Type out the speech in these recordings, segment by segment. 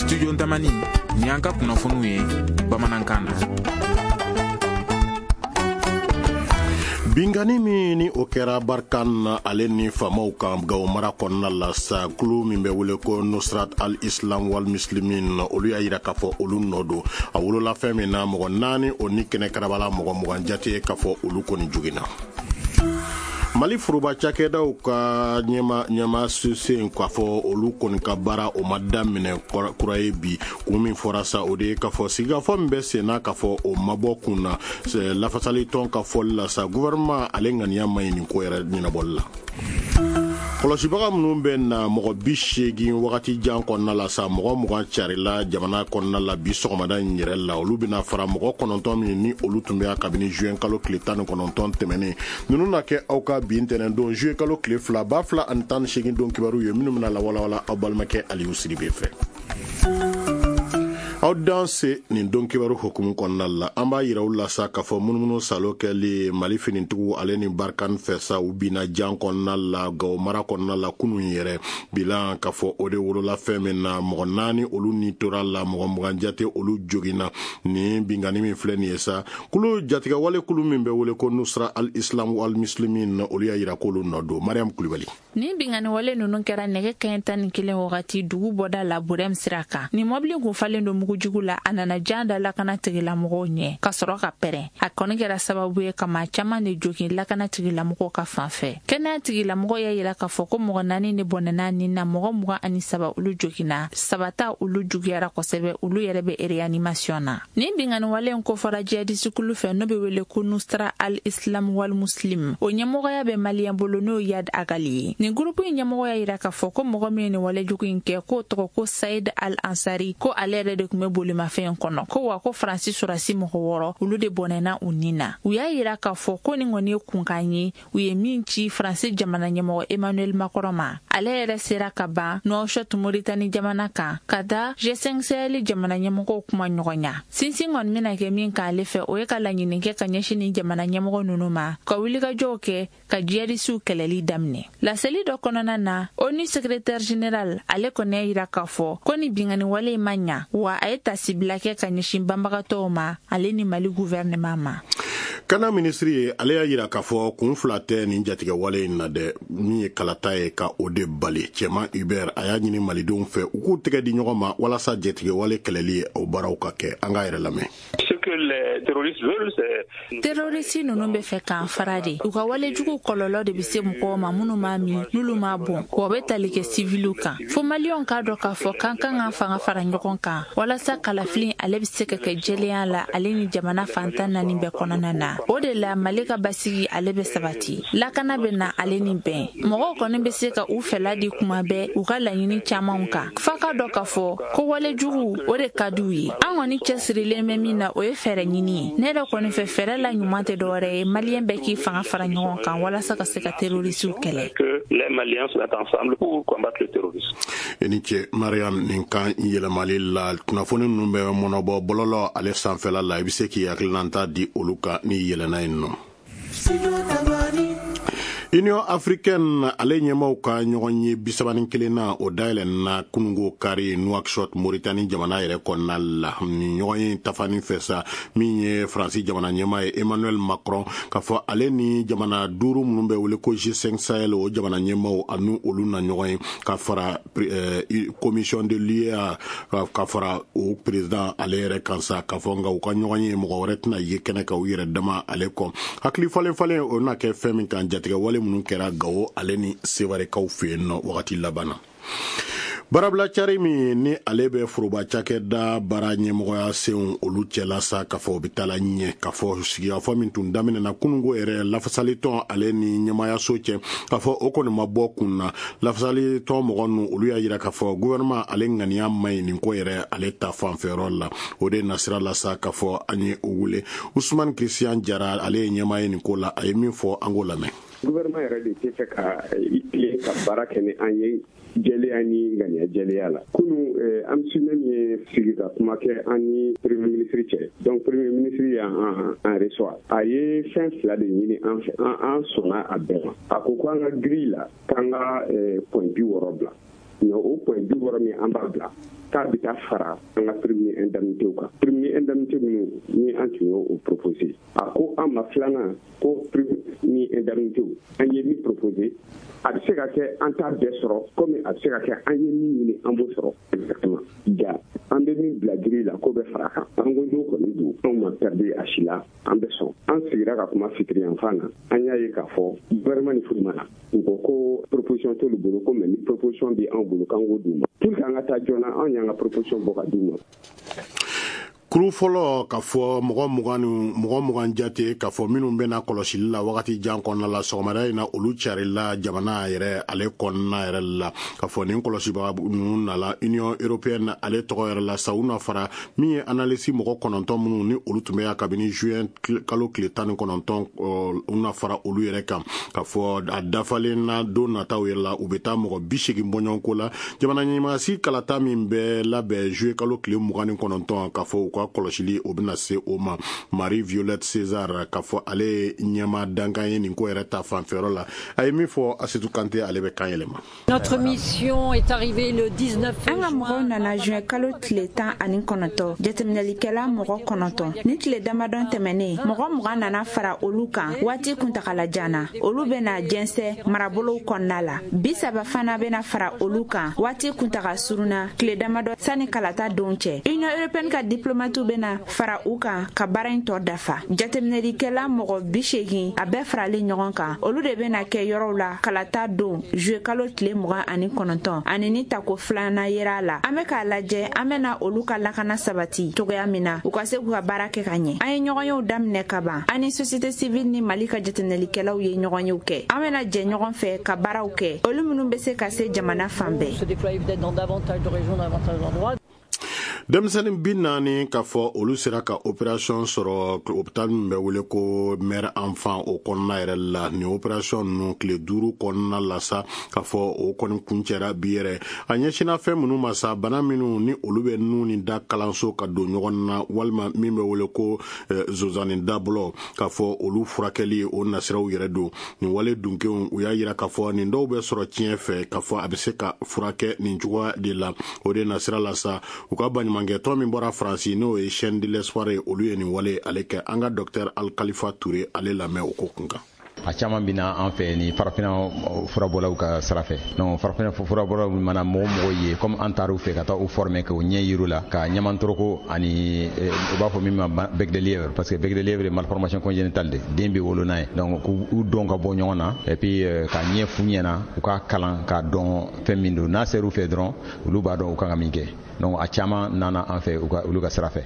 Studio Tamani, ni an ka kunnafoniw ye bamanankan na. Binkanni min ni o kɛra Barkhane ale ni faamaw kan Gawo mara kɔnɔna la sa, kulu min bɛ wele ko Nusrat al-Islam wal Muslimin, olu y'a yira k'a fɔ olu nɔ don. A wolola fɛn min na, mɔgɔ 4 o ni kɛnɛ karabala, mɔgɔ 20 jate k'a fɔ olu kɔni joginna. Mali foroba cakɛdaw ka ɲɛma sen k'a fɔ olu kɔni ka baara o ma daminɛ kura ye bi. Kun min fɔra sa, o de ye k'a fɔ sigikafɔ min bɛ sen na, k'a fɔ o ma bɔ kun na. Lafasali tɔn ka fɔli la sa, gouvernement ale ŋaniya ma ɲi nin ko yɛrɛ ɲɛnabɔli la. Kɔlɔsibaga minnu bɛ na mɔgɔ 80 wagati jan kɔnɔna la sa, mɔgɔ 20 carila jamana kɔnɔna la bi sɔgɔmada in yɛrɛ la. Olu bɛna fara mɔgɔ 9 min ni olu tun bɛ yan kabini juin kalo tile 19 tɛmɛnen. Ninnu na kɛ aw ka bi ntɛnɛn don juillet kalo tile 2 2018 don kibaru ye, minnu bɛna lawalawala aw balimakɛ Aliyu Sidibe fɛ. Aw dan se nin don kibaru hukumu kɔnɔna la, an b'a yira u la sa k'a fɔ munumunu salo kɛli Mali finitigiw ale ni Barkhane fɛ sa, u binna jan kɔnɔna la Gawo mara kɔnɔna la kunun yɛrɛ. Bilan k'a fɔ o de wolola fɛn min na, mɔgɔ 4 olu ni tora la, mɔgɔ 20 jate olu joginna. Nin binkanni min filɛ nin ye sa, kulu jatigɛwale kulu min bɛ wele ko Nusra al-Islam wal Muslimin, olu y'a yira k'olu nɔ don. Mariam Kulibali. Nin binkanni wale ninnu kɛra nɛgɛ kanɲɛ 11 wagati dugu bɔda la Burɛm sira kan. Nin mɔbili kun falen don mugujugu la, a nana jan da lakana tigilamɔgɔw ɲɛ ka sɔrɔ ka pɛrɛn. A kɔni kɛra sababu ye ka maa caman de jogin lakana tigilamɔgɔw ka fan fɛ. Kɛnɛya tigilamɔgɔw y'a yira k'a fɔ ko mɔgɔ 4 de bɔnɛna nin na, mɔgɔ 23 olu joginna, 3 ta olu juguyara kosɛbɛ, olu yɛrɛ bɛ réanimation na. Nin binkanni wale in kofɔra jihadisi kulu fɛ n'o bɛ wele ko Nusra al-Islam wal Muslim. O ɲɛmɔgɔya bɛ maliyɛn bolo n'o ye Iyad Ag Ghali ye. Nin gurupu in ɲɛmɔgɔ y'a yira k'a fɔ ko mɔgɔ min ye nin walejugu in kɛ, k'o tɔgɔ ko Saïd Al-Ansari, ko ale yɛrɛ de tun bɛ bolimafɛn in kɔnɔ, ko wa ko Faransi sɔrɔdasi mɔgɔ 6 olu de bɔnɛna u ni na. U y'a yira k'a fɔ ko nin kɔni ye kunkan ye u ye min ci Faransi jamana ɲɛmɔgɔ Emmanuel Macron ma. Ale yɛrɛ sera ka ban Nouakchott Mauritanie jamana kan ka taa G5 Sahel jamana ɲɛmɔgɔw kuma ɲɔgɔnya. Sinsin kɔni bɛna kɛ min k'ale fɛ, o ye ka laɲini kɛ ka ɲɛsin nin jamana ɲɛmɔgɔ ninnu ma, ka wulikajɔw kɛ ka jihadisiw kɛlɛli daminɛ. Laseli dɔ kɔnɔna na, ONU secrétaire général ale kɔni y'a yira k'a fɔ ko nin binkanni wale in ma ɲa, wa a ye tasibila kɛ ka ɲɛsin banbagatɔw ma ale ni Mali gouvernement ma. Kana minisiri ye, ale y'a yira k'a fɔ kun fila tɛ nin jatigɛ wale in na dɛ, min ye kalata ye ka o de bali. Cɛman Hubert a y'a ɲini malidenw fɛ u k'u tɛgɛ di ɲɔgɔn ma walasa jatigɛ wale kɛlɛli ye o baaraw ka kɛ. An k'a yɛrɛ lamɛn. Terroriste ninnu bɛ fɛ k'an fara de. U ka walejugu kɔlɔlɔ de bɛ se mɔgɔw ma minnu m'a min, n'olu m'a bɔn, wa u bɛ tali kɛ siviliw kan. Fo maliyɛnw k'a dɔn k'a fɔ k'an kan k'an fanga fara ɲɔgɔn kan walasa kalafili ale bɛ se ka kɛ jɛlenya la ale ni jamana fan 14 bɛɛ kɔnɔna na. O de la Mali ka basigi ale bɛ sabati, lakana bɛ na ale ni bɛn. Mɔgɔw kɔni bɛ se ka u fɛla di kuma bɛɛ u ka laɲini camanw kan. F'a ka dɔn k'a fɔ ko walejugu o de ka di u ye. An kɔni cɛsirilen bɛ min na, o ye fɛɛrɛ ɲini ye. Ne yɛrɛ kɔni fɛ, fɛɛrɛ la ɲuman tɛ dɔwɛrɛ ye, maliyɛn bɛɛ k'i fanga fara ɲɔgɔn kan walasa ka se ka terrorisiw kɛlɛ. I ni ce Mariam nin kan yɛlɛmali la. Kunnafoni ninnu bɛ mɔnɔbɔ bɔlɔlɔ ale sanfɛla la, i bɛ se k'i hakilinata di olu kan n'i yɛlɛnna yen nɔ. Union africaine ale ɲɛmaw ka ɲɔgɔn ye 31 na, o dayɛlɛnna kunungo kari Nouakchott Mauritanie jamana yɛrɛ kɔnɔna la. Nin ɲɔgɔn ye tafani fɛ sa, min ye Faransi jamana ɲɛmaa ye Emmanuel Macron, k'a fɔ ale ni jamana 5 minnu bɛ wele ko G5 Sahel, o jamana ɲɛmaw ani olu na ɲɔgɔn ye, ka fara commission de l'UEA, ka fara o président ale yɛrɛ kan sa, k'a fɔ nka u ka ɲɔgɔn ye mɔgɔ wɛrɛ tɛna ye kɛnɛ kan u yɛrɛ dama ale kɔ. Hakili falen falen o na kɛ fɛn min kan, jatigɛ wale minnu kɛra Gawo ale ni Sewarekaw fɛ yen nɔ wagati laban na. Baarabila cari min ni ale bɛ foroba cakɛda baara ɲɛmɔgɔya senw olu cɛla sa, k'a fɔ o bɛ taa la ɲɛ, k'a fɔ sigikafɔ min tun daminɛna kunungo yɛrɛ lafasalitɔn ale ni ɲɛmaayaso cɛ, k'a fɔ o kɔni ma bɔ kun na. Lafasalitɔn mɔgɔ ninnu olu y'a yira k'a fɔ gouvernement ale ŋaniya man ɲi nin ko yɛrɛ ale ta fanfɛyɔrɔ la. O de nasira la sa, k'a fɔ an ye o wele Usman Christian Jara, ale ye ɲɛmaa ye nin ko la, a ye min fɔ an k'o lamɛn. Gouvernement yɛrɛ de tɛ fɛ ka i tilen ka baara kɛ ni an ye jɛlenya ni ŋaniya jɛlenya la. Kunun, AMSUMEM ye sigi ka kuma kɛ an ni premier ministre cɛ. Donc premier ministre y'an reçoit. A ye fɛn 2 de ɲini an fɛ. An sɔnna a bɛɛ ma. A ko ko an ka grille la, k'an ka point 60 bila. Mais o point 60 min an b'a bila, k'a bɛ taa fara an ka prime ni indemnité kan, prime ni indemnité minnu ni an tun y'o proposé. A ko an ma filanan ko prime ni indemnité, an ye min proposé, a bɛ se ka kɛ an t'a bɛɛ sɔrɔ, komi a bɛ se ka kɛ an ye min ɲini, an b'o sɔrɔ exactement. Ja an bɛ min bila grille la, k'o bɛ fara a kan. An ko n'o kɔni don, anw ma perdu a si la, an bɛ sɔn. An sigira ka kuma fitiri yanfan na, an y'a ye k'a fɔ gouvernement ni foyi ma na. U ko ko proposition t'olu bolo ko, mais ni proposition bɛ anw bolo, k'an k'o d'u ma pour que an ka taa joona. Anw y'an ka proposition bɔ ka d'u ma. Kuru fɔlɔ, k'a fɔ mɔgɔ 20 ni mɔgɔ 20 jate, k'a fɔ minnu bɛna kɔlɔsili la wagati jan kɔnɔna la, sɔgɔmada in na olu carila jamana yɛrɛ ale kɔnɔna yɛrɛ la. K'a fɔ nin kɔlɔsibaga ninnu nala Union européenne ale tɔgɔ yɛrɛ la sa, u na fara min ye analyste mɔgɔ 9 minnu ni olu tun bɛ yan kabini juin kalo tile 19, u na fara olu yɛrɛ kan. K'a fɔ a dafalen na, don nataw yɛrɛ la, u bɛ taa mɔgɔ 80 bɔɲɔgɔnko la. Jamana ɲɛmaasi kalata min bɛ labɛn juillet kalo tile 29, k'a fɔ u ka kɔlɔsili o bɛna se o ma. Marie Violette César, k'a fɔ ale ye ɲɛma dankan ye nin ko yɛrɛ ta fanfɛyɔrɔ la, a ye min fɔ, Asetu Kante ale bɛ kan yɛlɛma. Notre mission est arrivée le 19. An ka mɔgɔw nana juin kalo tile 19, jateminɛlikɛla mɔgɔ 9. Ni tile damadɔ tɛmɛnen, mɔgɔ 20 nana fara olu kan waati kuntagala jan na. Olu bɛna jɛnsɛ marabolow kɔnɔna la. 30 fana bɛna fara olu kan waati kuntaga surunna, tile damadɔ sani kalata don cɛ. Union européenne ka diplomatiw bɛna fara u kan ka baara in tɔ dafa. Jateminɛlikɛla mɔgɔ 80, a bɛɛ faralen ɲɔgɔn kan, olu de bɛna kɛ yɔrɔw la kalata don juillet kalo tile 29, ani ni tako filanan yera a la. An bɛ k'a lajɛ an bɛna olu ka lakana sabati cogoya min na, u ka se k'u ka baara kɛ ka ɲɛ. An ye ɲɔgɔnyew daminɛ ka ban. An ni société civile ni Mali ka jateminɛlikɛlaw ye ɲɔgɔnyew kɛ. An bɛna jɛ ɲɔgɔn fɛ ka baaraw kɛ, olu minnu bɛ se ka se jamana fan bɛɛ. Se déployer peut-être dans davantage de régions, davantage d'endroits. Denmisɛnnin 40, k'a fɔ olu sera ka opération sɔrɔ hôpital min bɛ wele ko mère enfant o kɔnɔna yɛrɛ la. Nin opération ninnu, tile 5 kɔnɔna la sa, k'a fɔ o kɔni kuncɛra bi yɛrɛ. A ɲɛsinna fɛn minnu ma sa, bana minnu ni olu bɛ nun ni da kalanso ka don ɲɔgɔn na, walima min bɛ wele ko zozani dabɔlɔ, k'a fɔ olu furakɛli o nasiraw yɛrɛ don. Nin wale dunkew, u y'a yira k'a fɔ nin dɔw bɛ sɔrɔ tiɲɛ fɛ, k'a fɔ a bɛ se ka furakɛ nin cogoya de la. O de nasira la sa, u ka baɲumankɛtɔn min bɔra Faransi, n'o ye Chaîne de l'espoir ye, olu ye nin wale ale kɛ. An ka docteur Alikalifa Ture ale lamɛn o ko kun kan. A caman bɛ an fɛ ni farafinna furabɔlaw ka sira fɛ. Donc farafinna furabɔlaw mana mɔgɔ mɔgɔ ye, comme an taar'u fɛ ka taa u former, k'u ɲɛ yir'u la ka ɲamantoroko ani u b'a fɔ min ma bec de lièvre, parce que bec de lièvre ye malformation congénitale de, den bɛ wolo n'a ye. Donc k'u dɔn ka bɔ ɲɔgɔn na, et puis ka ɲɛ f'u ɲɛna, u ka kalan k'a dɔn fɛn min don. N'a ser'u fɛ dɔrɔn, olu b'a dɔn u kan ka min kɛ. Donc a caman nana an fɛ u ka olu ka sira fɛ.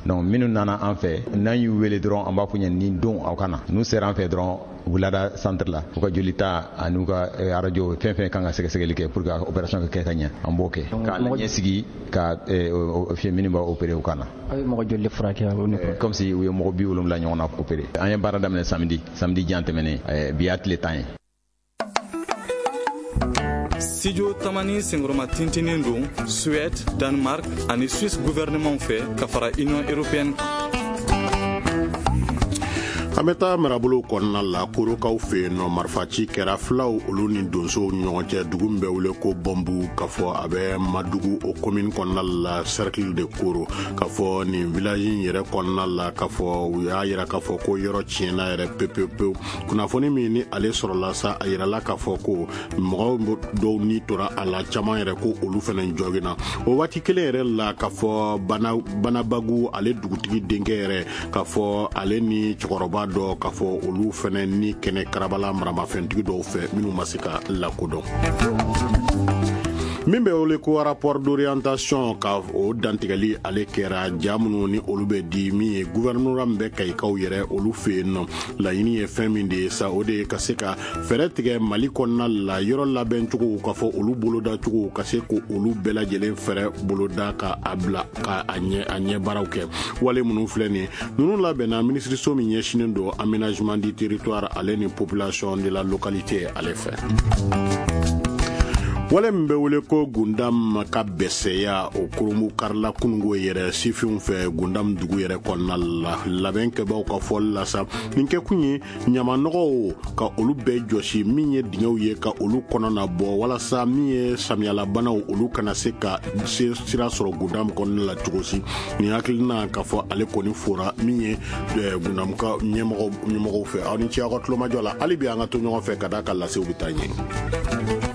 Donc minnu nana an fɛ, n'an y'u wele dɔrɔn, an b'a f'u ɲɛna nin don aw ka na. N'u sera an fɛ dɔrɔn, u lada centre la, u ka joli ta ani ka radio, fɛn fɛn kan ka sɛgɛsɛgɛli kɛ pour que opération ka kɛ ka ɲɛ, an b'o kɛ k'a ɲɛ sigi ka fiyɛ minnu b'a opérer u kan na. Aw ye mɔgɔ joli furakɛ? Comme si u ye mɔgɔ 70 ɲɔgɔn na opérer. An ye baara daminɛ samedi, samedi jan tɛmɛnen, bi y'a tile 10 ye. Studio Tamani senkɔrɔma tintinin don Suède, Danemark ani Suisse gouvernement fɛ ka fara Union européenne kan. An bɛ taa marabolo kɔnɔna la, Korokaw fɛ yen nɔ. Marifaci kɛra filaw olu ni donsow ni ɲɔgɔn cɛ, dugu min bɛ wele ko Bɔnbu, k'a fɔ a bɛ Madugu o commune kɔnɔna la, cercle de Koro. K'a fɔ nin village in yɛrɛ kɔnɔna la, k'a fɔ u y'a yira k'a fɔ ko yɔrɔ tiɲɛna yɛrɛ pewu pewu. Kunnafoni min ni ale sɔrɔla sa, a yirala k'a fɔ ko mɔgɔw dɔw ni tora a la, caman yɛrɛ ko olu fɛnɛ jɔginna. O waati kelen yɛrɛ la, k'a fɔ Banabagu ale dugutigi denkɛ yɛrɛ, k'a fɔ ale ni cɛkɔrɔba dɔ, k'a fɔ olu fɛnɛ ni kɛnɛ karabala maramafɛntigi dɔw fɛ minnu ma se ka lakodɔn. Min bɛ wele ko rapport d'orientation, ka o dantigɛli ale kɛra, ja minnu ni olu bɛ di min ye gouvernorat min bɛ Kayikaw yɛrɛ olu fɛ yen nɔ. Laɲini ye fɛn min de ye sa, o de ye ka se ka fɛɛrɛ tigɛ Mali kɔnɔna la, yɔrɔ labɛncogo, k'a fɔ olu bolodacogo, ka se ko olu bɛɛ lajɛlen fɛɛrɛ boloda ka a bila ka a ɲɛ a ɲɛ baaraw kɛ. Wale minnu filɛ nin ye, ninnu labɛnna minisiriso min ɲɛsinnen don aménagement du territoire ale ni population de la localité ale fɛ. Wale min bɛ wele ko Gundam ka bɛsɛya, o kurunbu karila kunungo yɛrɛ sifinw fɛ Gundam dugu yɛrɛ kɔnɔna la. Labɛn kɛbaw ka fɔli la sa, nin kɛkun ye ɲamanɔgɔw ka olu bɛɛ jɔsi, min ye dingɛw ye ka olu kɔnɔ na bɔ, walasa min ye samiyalabanaw, olu kana se ka se sira sɔrɔ Gundam kɔnɔna la cogo si. Nin hakilina k'a fɔ ale kɔni fora min ye Gundam ka ɲɛmɔgɔw fɛ. Aw ni ce aw ka tulomajɔ la. Hali bi an ka to ɲɔgɔn fɛ ka d'a ka lasew bɛ taa ɲɛ.